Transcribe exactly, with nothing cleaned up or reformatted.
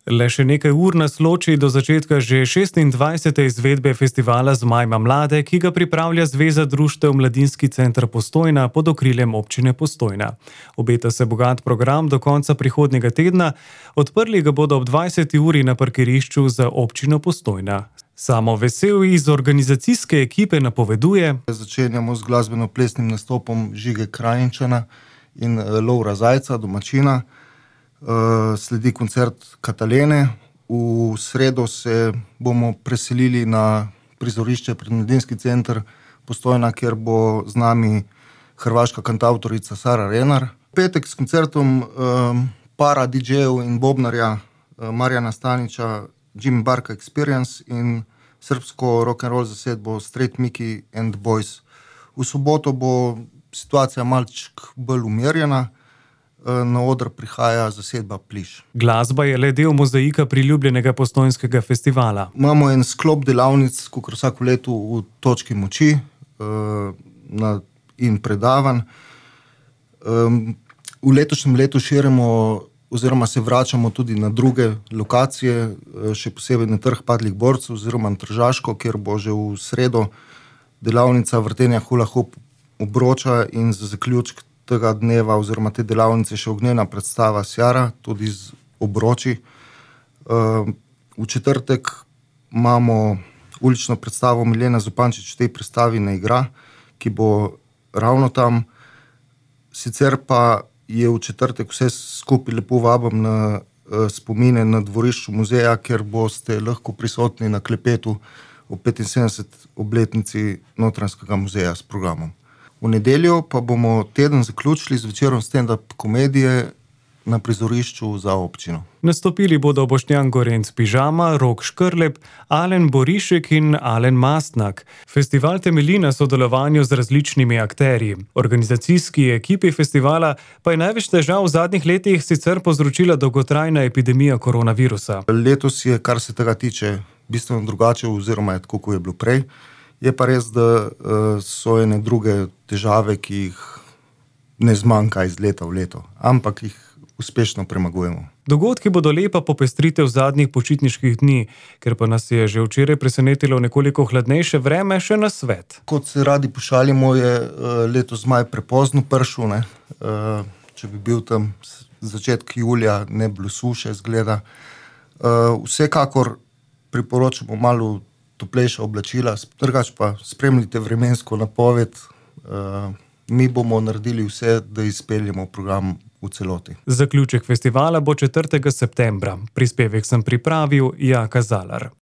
Le še nekaj ur nas loči do začetka že šestindvajsete izvedbe festivala Zmajma mlade, ki ga pripravlja Zveza društev Mladinski center Postojna pod okriljem občine Postojna. Obeta se bogat program do konca prihodnjega tedna, odprli ga bodo ob dvajseti uri na parkirišču za občino Postojna. Samo Vesel iz organizacijske ekipe napoveduje: Začenjamo z glasbeno-plesnim nastopom Žige Krajinčana in Lovra Zajca, domačina. Uh, sledi koncert Katalene. V sredo se bomo preselili na prizorišče pred Mladinski center Postojna, kjer bo z nami hrvaška kantavtorica Sara Renar. Petek s koncertom uh, para didžejev in bobnarja uh, Marjana Staniča Jimmy Barka Experience in srbsko rock'n'roll zasedbo Straight Mickey and Boys. V soboto bo situacija malček bolj umirjena. Na oder prihaja zasedba Pliš. Glasba je le del mozaika priljubljenega postojnskega festivala. Imamo en sklop delavnic, kakor vsako leto v točki moči uh, na, in predavanj. Um, v letošnjem letu širimo oziroma se vračamo tudi na druge lokacije, še posebej na Trg padlih borcev oziroma na Tržaško, kjer bo že v sredo delavnica vrtenja hula hop obroča in za zaključek tega dneva oziroma te delavnice še ognjena predstava Sjara, tudi z obroči. V četrtek imamo ulično predstavo Milena Zupančič v tej predstavi Ne igra, ki bo ravno tam. Sicer pa je v četrtek vse skupaj lepo vabim na spomine na dvorišču muzeja, kjer boste lahko prisotni na klepetu o petinsedemdeseti obletnici Notranjskega muzeja s programom. V nedeljo pa bomo teden zaključili z večerom stand-up komedije na prizorišču za občino. Nastopili bodo Boštjan Gorenc Pižama, Rok Škrlep, Alen Borišek in Alen Mastnak. Festival temelji na sodelovanju z različnimi akterji. Organizacijski ekipi festivala pa je največ težav v zadnjih letih sicer povzročila dolgotrajna epidemija koronavirusa. Letos je, kar se tega tiče, bistveno drugače oziroma je tako, kot je bilo prej. Je pa res, da so ene druge težave, ki jih ne zmanjka iz leta v leto, ampak jih uspešno premagujemo. Dogodki bodo lepa popestritev zadnjih počitniških dni, ker pa nas je že včeraj presenetilo nekoliko hladnejše vreme, še na svet. Kot se radi pošalimo, je letos maj prepozno pršel, ne. Če bi bil tam začetek julija, ne bilo suše, zgleda. Vsekakor priporočamo malo toplejša oblačila, drugače pa spremljite vremensko napoved. Mi bomo naredili vse, da izpeljemo program v celoti. Zaključek festivala bo četrtega septembra. Prispevek sem pripravil Jaka Zalar.